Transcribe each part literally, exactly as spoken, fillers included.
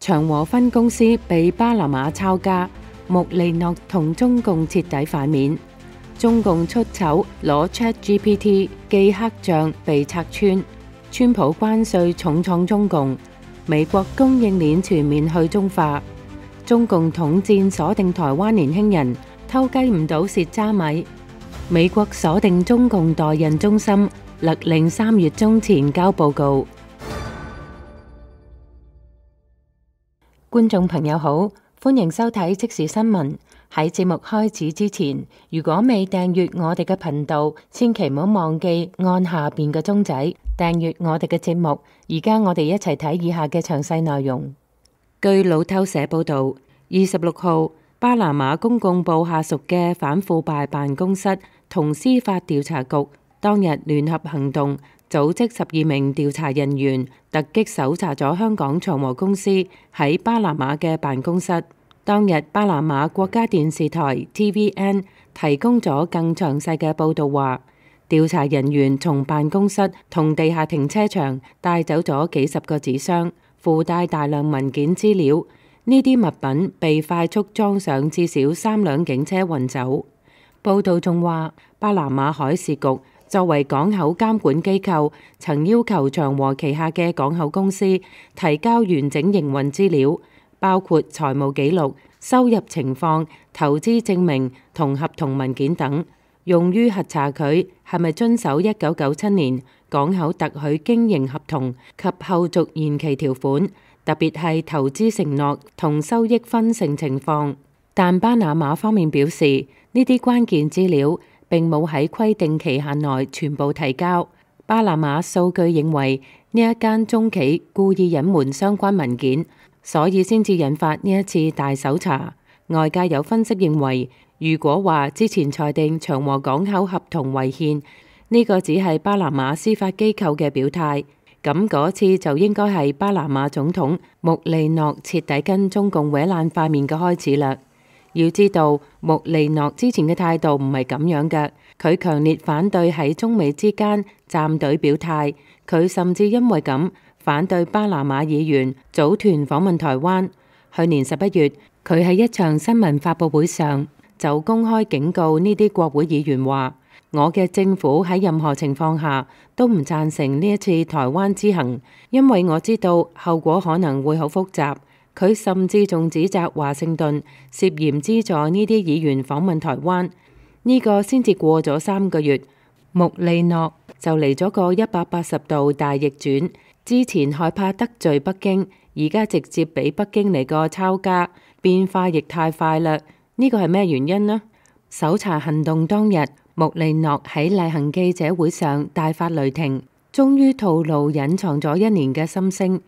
長和分公司被巴拿馬抄家，穆利諾同中共徹底反面。中共出醜攞 ChatGPT 記黑賬被拆穿。川普關稅重創中共。美國供應鏈全面去中化。中共統戰鎖定台灣年輕人，偷雞唔到蝕渣米。美國鎖定中共代孕中心，勒令三月中前交報告。觀眾朋友好，歡迎收睇即時新聞。喺節目開始之前，如果未訂閱我哋嘅頻道，千祈唔好忘記按下邊嘅鐘仔訂閱我哋嘅節目。而家我哋一齊睇以下嘅詳細內容。據路透社報道，二十六號，巴拿馬公共部下屬嘅反腐敗辦公室同司法調查局當日聯合行動，組織十二名調查人員突擊搜查咗香港長和公司喺巴拿馬嘅辦公室。當日巴拿馬國家電視台 T V N 提供咗更詳細嘅報道，話調查人員從辦公室同地下停車場帶走咗幾十個紙箱，附帶大量文件資料。呢啲物品被快速裝上至少三輛警車運走。報道仲話，巴拿馬海事局作為港口監管機構，曾要求長和旗下嘅港口公司提交完整營運資料，包括財務記錄、收入情況、投資證明同合同文件等，用於核查佢係咪遵守一九九七年港口特許經營合同及後續延期條款，特別係投資承諾同收益分成情況。但巴拿馬方面表示，呢啲關鍵資料並冇喺規定期限內全部提交。巴拿馬數據認為呢一間中企故意隱瞞相關文件，所以先至引發呢一次大搜查。外界有分析認為，如果話之前裁定長和港口合同違憲，呢個只係巴拿馬司法機構嘅表態，咁嗰次就應該係巴拿馬總統穆利諾徹底跟中共搲爛塊面嘅開始啦。要知道，穆利諾之前嘅態度唔係咁樣嘅，佢強烈反對喺中美之間站隊表態，佢甚至因為咁反對巴拿馬議員組團訪問台灣。去年十一月，佢喺一場新聞發佈會上就公開警告呢啲國會議員話：我嘅政府喺任何情況下都唔贊成呢一次台灣之行，因為我知道後果可能會好複雜。佢甚至仲指責華盛頓涉嫌資助呢啲議員訪問台灣。呢個先至過咗三個月，穆利諾就嚟咗個一百八十度大逆轉。之前害怕得罪北京，而家直接俾北京嚟個抄家，變化亦太快啦。呢個係咩原因呢？搜查行動當日，穆利諾喺例行記者會上大發雷霆，終於吐露隱藏咗一年嘅心聲。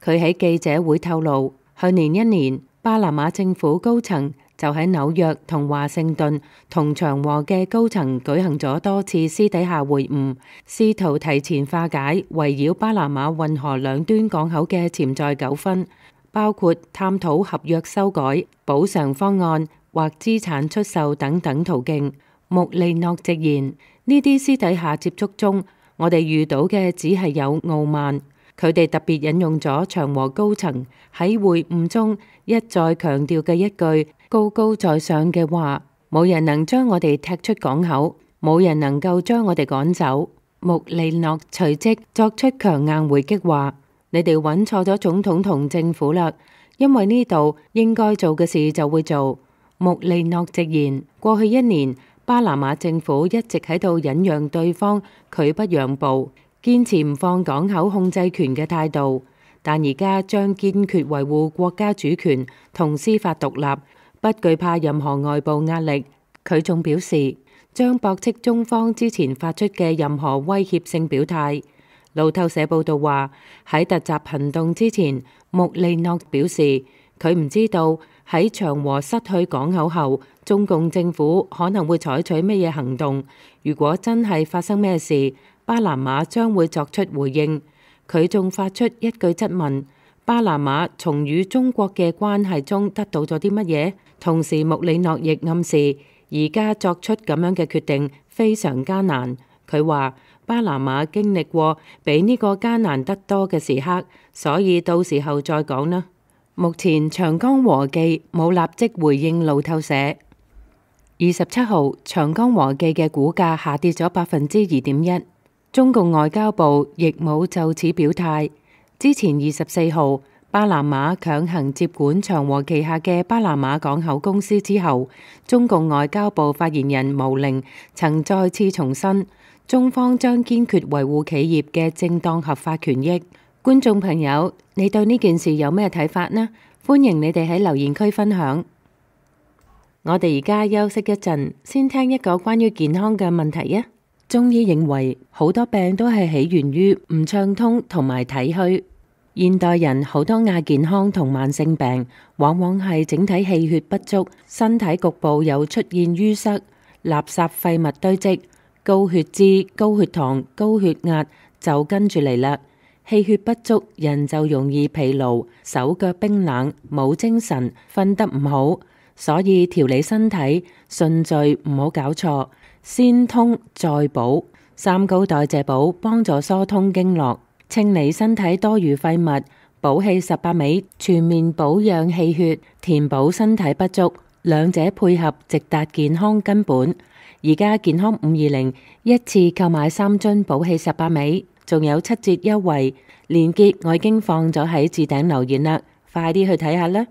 佢喺記者會透露，去年一年，巴拿馬政府高層就喺紐約同華盛頓同長和嘅高層舉行咗多次私底下會晤，試圖提前化解圍繞巴拿馬運河兩端港口嘅潛在糾紛，包括探討合約修改、補償方案或資產出售等等途徑。穆利諾直言，呢啲私底下接觸中，我哋遇到嘅只係有傲慢。佢哋特別引用咗長和高層喺會晤中一再強調嘅一句高高在上嘅話：冇人能將我哋踢出港口，冇人能夠將我哋趕走。穆利諾隨即作出強硬回擊，話：你哋揾錯咗總統同政府啦，因為呢度應該做嘅事就會做。穆利諾直言，過去一年巴拿馬政府一直喺度忍讓對方拒不讓步，堅持唔放港口控制權嘅態度，但而家將堅決維護國家主權同司法獨立，不懼怕任何外部壓力。佢仲表示，將駁斥中方之前發出嘅任何威脅性表態。路透社報道話，喺突襲行動之前，穆利諾表示佢唔知道喺長和失去港口後，中共政府可能會採取咩嘢行動。如果真係發生咩事，巴拿馬將會作出回應。佢仲發出一句質問：巴拿馬從與中國嘅關係中得到咗啲乜嘢？同時，穆利諾亦暗示而家作出咁樣嘅決定非常艱難。佢話巴拿馬經歷過比呢個艱難得多嘅時刻，所以到時候再講啦。目前長江和記冇立即回應路透社。二十七號，長江和記嘅股價下跌咗百分之二點一。中共外交部亦冇就此表態。之前二十四號，巴拿馬強行接管長和旗下嘅巴拿馬港口公司之後，中共外交部發言人毛寧曾再次重申，中方將堅決維護企業嘅正當合法權益。觀眾朋友，你對呢件事有咩睇法呢？歡迎你哋喺留言區分享。我哋而家休息一陣，先聽一個關於健康嘅問題啊！中醫認為好多病都係起源於唔暢通同埋體虛。現代人好多亞健康同慢性病，往往係整體氣血不足，身體局部有出現淤塞、垃圾廢物堆積、高血脂、高血糖、高血壓就跟住嚟啦。氣血不足，人就容易疲勞、手腳冰冷、冇精神、瞓得唔好。所以調理身體順序唔好搞錯，先通再補。三高代謝補幫助疏通經絡，清理身體多餘廢物，補氣十八味，全面保養氣血，填補身體不足，兩者配合直達健康根本。而家健康五二零一次購買三樽補氣十八味，仲有七折優惠，鏈接我已經放咗喺置頂留言啦，快啲去睇下啦！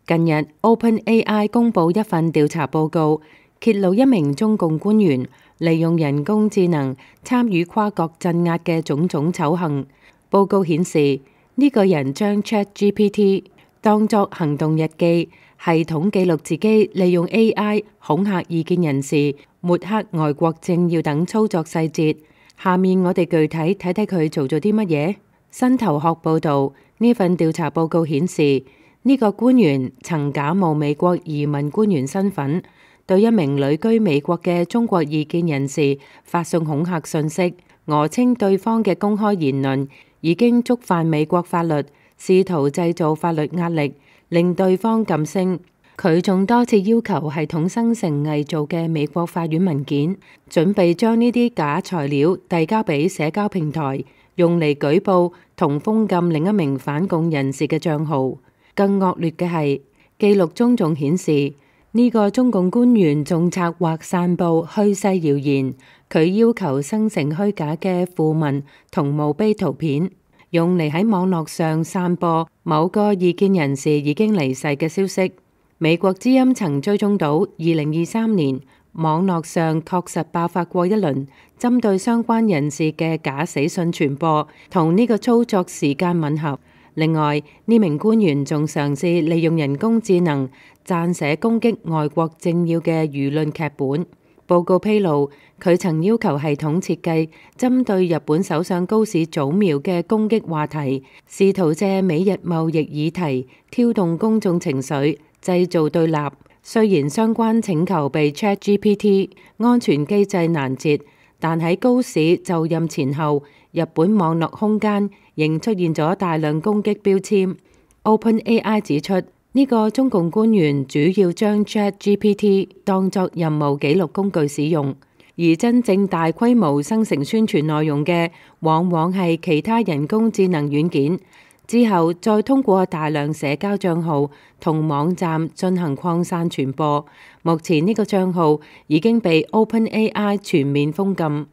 近日 OpenAI 公布一份調查報告，揭露一名中共官員利用人工智能參與跨國鎮壓嘅種種醜行。報告顯示，呢、這個人將 ChatGPT 當作行動日記，系統記錄自己利用 A I 恐嚇異見人士、抹黑外國政要等操作細節。下面我哋具體睇睇佢做咗啲乜嘢。新頭殼報道，呢份調查報告顯示，呢、這個官員曾假冒美國移民官員身份，對一名旅居美國嘅中國異見人士發送恐嚇信息，訛稱對方嘅公開言論已經觸犯美國法律，試圖製造法律壓力，令對方噤聲。佢仲多次要求系統生成偽造嘅美國法院文件，準備將呢啲假材料遞交俾社交平台，用嚟舉報同封禁另一名反共人士嘅賬號。更惡劣嘅係，記錄中仲顯示呢、這個中共官員仲策劃散佈虛勢謠言，佢要求生成虛假嘅訃文同墓碑圖片，用嚟喺網絡上散播某個異見人士已經離世嘅消息。美國之音曾追蹤到二零二三年網絡上確實爆發過一輪針對相關人士嘅假死訊傳播，同呢個操作時間吻合。另外，呢名官員仲嘗試利用人工智能撰寫攻擊外國政要嘅輿論劇本。報告披露，佢曾要求系統設計針對日本首相高市早苗嘅攻擊話題，試圖借美日貿易議題挑動公眾情緒，製造對立。雖然相關請求被 ChatGPT 安全機制攔截，但喺高市就任前後，日本網絡空間仍出現咗大量攻擊標籤。OpenAI 指出，呢、這個中共官員主要將 ChatGPT 當作任務記錄工具使用，而真正大規模生成宣傳內容嘅，往往係其他人工智能軟件，之後再通過大量社交賬號同網站進行擴散傳播。目前呢個賬號已經被 OpenAI 全面封禁。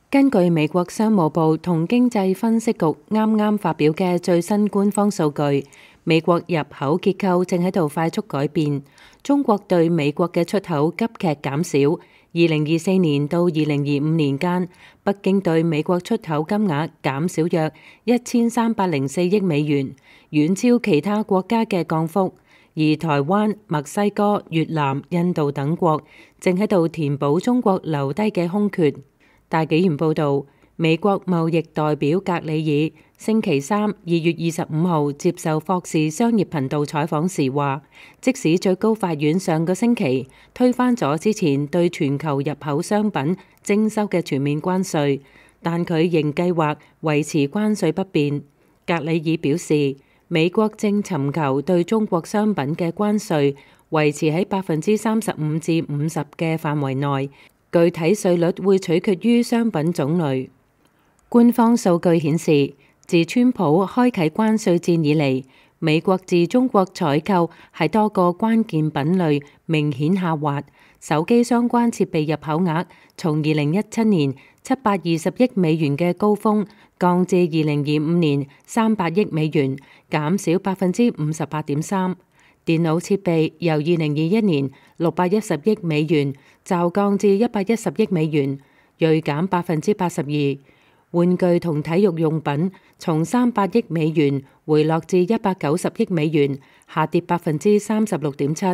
根據美國商務部同經濟分析局啱啱發表嘅最新官方數據，美國入口結構正喺度快速改變。中國對美國嘅出口急劇減少。二零二四年到二零二五年間，北京對美國出口金額減少約一千三百零四億美元，遠超其他國家嘅降幅。而台灣、墨西哥、越南、印度等國正喺度填補中國留低嘅空缺。大紀元報導，美國貿易代表格里爾星期三二月二十五號接受霍士商業頻道採訪時話，即使最高法院上個星期推翻咗之前對全球入口商品徵收嘅全面關稅，但佢仍計劃維持關稅不變。格里爾表示，美國正尋求對中國商品嘅關稅維持喺百分之三十五至五十嘅範圍內。具體稅率會取決於商品種類。官方數據顯示，自川普開啟關稅戰以嚟，美國自中國採購喺多個關鍵品類明顯下滑。手機相關設備入口額從二零一七年七百二十億美元嘅高峰降至二零二五年三百億美元，減少百分之五十八點三。電腦設備由二零二一年六百一十億美元驟降至一百一十億美元，銳減百分之八十二。玩具同體育用品從三百億美元回落至一百九十億美元，下跌百分之三十六點七。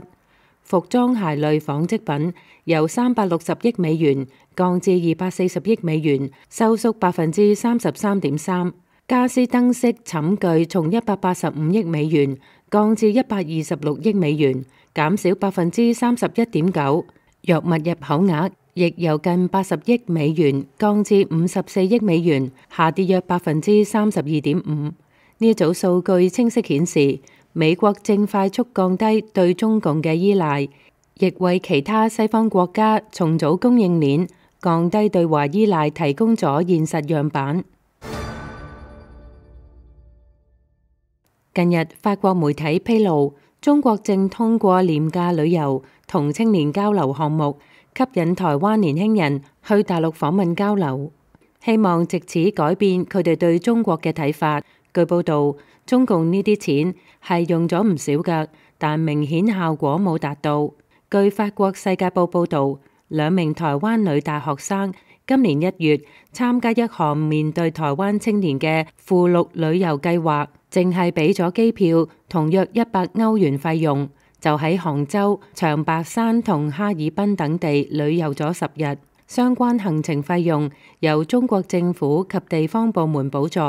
服裝鞋類紡織品由三百六十億美元降至二百四十億美元，收縮百分之三十三點三。家私燈飾寢具從一百八十五億美元降至一百二十六億美元，減少百分之三十一點九。藥物入口額亦由近八十億美元降至五十四億美元，下跌約百分之三十二點五。呢一組數據清晰顯示，美國正快速降低對中共嘅依賴，亦為其他西方國家重組供應鏈、降低對華依賴提供咗現實樣板。近日，法國媒體披露，中國正通過廉價旅遊同青年交流項目，吸引台灣年輕人去大陸訪問交流，希望藉此改變佢哋對中國嘅睇法。據報道，中共呢啲錢係用咗唔少㗎，但明顯效果冇達到。據法國《世界報》報導，兩名台灣女大學生今年一月參加一項面對台灣青年嘅附錄旅遊計劃，淨係俾咗機票同約一百歐元費用，就喺杭州、長白山同哈爾濱等地旅遊咗十日。相關行程費用由中國政府及地方部門補助，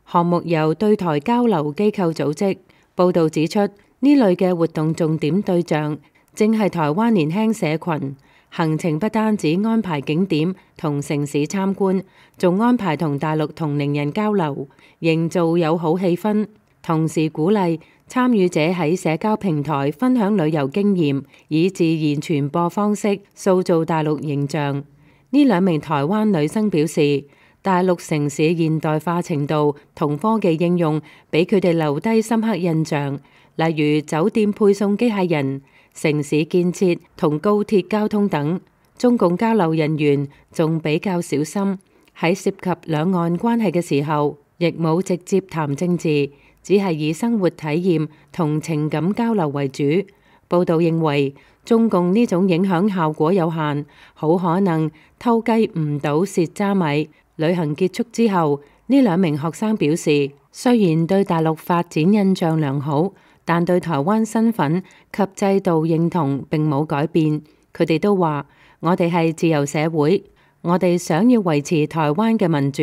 項目由對台交流機構組織。報導指出，呢類嘅活動重點對象正係台灣年輕社群。行程不單止安排景點同城市參觀，仲安排同大陸同齡人交流，營造友好氣氛，同時鼓勵參與者喺社交平台分享旅遊經驗，以自然傳播方式塑造大陸形象。呢兩名台灣女生表示，大陸城市現代化程度同科技應用俾佢哋留低深刻印象，例如酒店配送機械人、城市建設同高鐵交通等。中共交流人員仲比較小心，喺涉及兩岸關係嘅時候，亦冇直接談政治，只係以生活體驗同情感交流為主。報道認為，中共呢種影響效果有限，好可能偷雞唔到蝕渣米。旅行結束之後，呢兩名學生表示，雖然對大陸發展印象良好，但對台灣身份及制度認同並冇改變。佢哋都話：我哋係自由社會，我哋想要維持台灣嘅民主。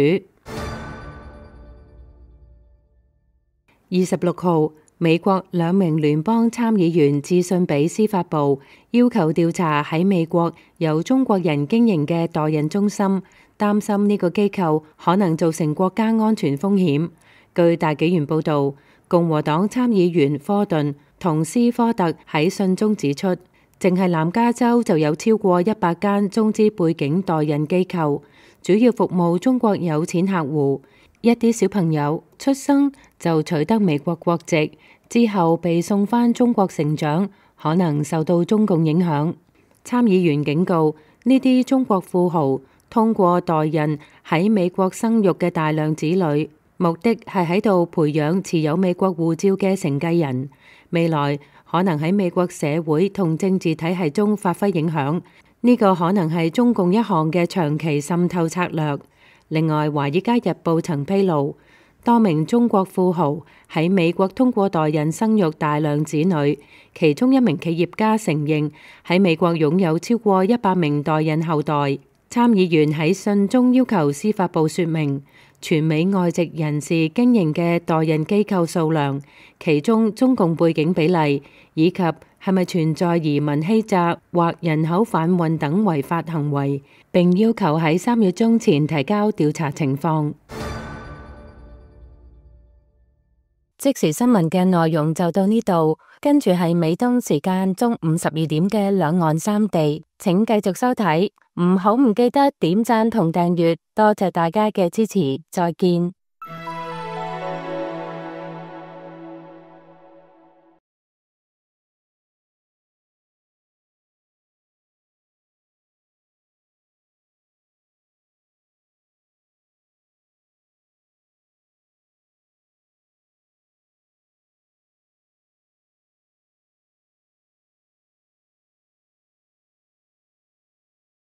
二十六號，美國兩名聯邦參議員致信俾司法部，要求調查喺美國由中國人經營嘅代孕中心，擔心呢個機構可能造成國家安全風險。據大紀元報導，共和黨參議員科頓同斯科特喺信中指出，淨係南加州就有超過一百間中資背景代孕機構，主要服務中國有錢客戶。一啲小朋友出生就取得美國國籍，之後被送返中國成長，可能受到中共影響。參議員警告，呢啲中國富豪通過代孕喺美國生育嘅大量子女，目的係喺度培養持有美國護照嘅承繼人，未來可能喺美國社會同政治體系中發揮影響。呢個可能係中共一項嘅長期滲透策略。另外，《華爾街日報》曾披露，多名中國富豪喺美國通過代孕生育大量子女，其中一名企業家承認喺美國擁有超過一百名代孕後代。參議員喺信中要求司法部說明全美外籍人士經營嘅代孕機構數量，其中中共背景比例，以及係咪存在移民欺詐或人口販運等違法行為，並要求喺三月中前提交調查情況。即時新聞嘅內容就到呢度，跟住係美東時間中午十二點嘅兩岸三地，請繼續收睇，唔好唔記得點讚同訂閱，多謝大家嘅支持，再見。